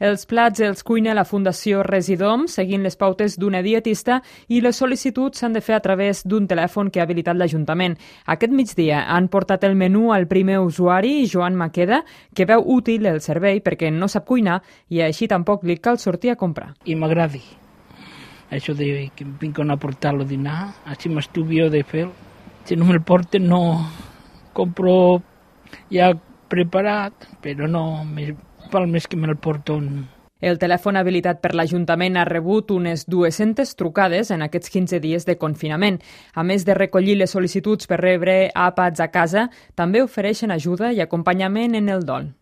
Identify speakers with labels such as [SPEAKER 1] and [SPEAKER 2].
[SPEAKER 1] Els plats els cuina la Fundació Residom, seguint les pautes d'una dietista, i les sol·licituds s'han de fer a través d'un telèfon que ha habilitat l'Ajuntament. Aquest migdia han portat el menú al primer usuari, Joan Maqueda, que veu útil el servei perquè no sap cuinar i així tampoc li cal sortir a comprar.
[SPEAKER 2] I m'agradi. Això de que em vinguin a portar-lo a dinar, així m'estuvio de fer. Si no me'l porten, no compro ja preparat, però no, val més que me'l porten.
[SPEAKER 1] El telèfon habilitat per l'Ajuntament ha rebut unes 200 trucades en aquests 15 dies de confinament. A més de recollir les sol·licituds per rebre àpats a casa, també ofereixen ajuda i acompanyament en el dol.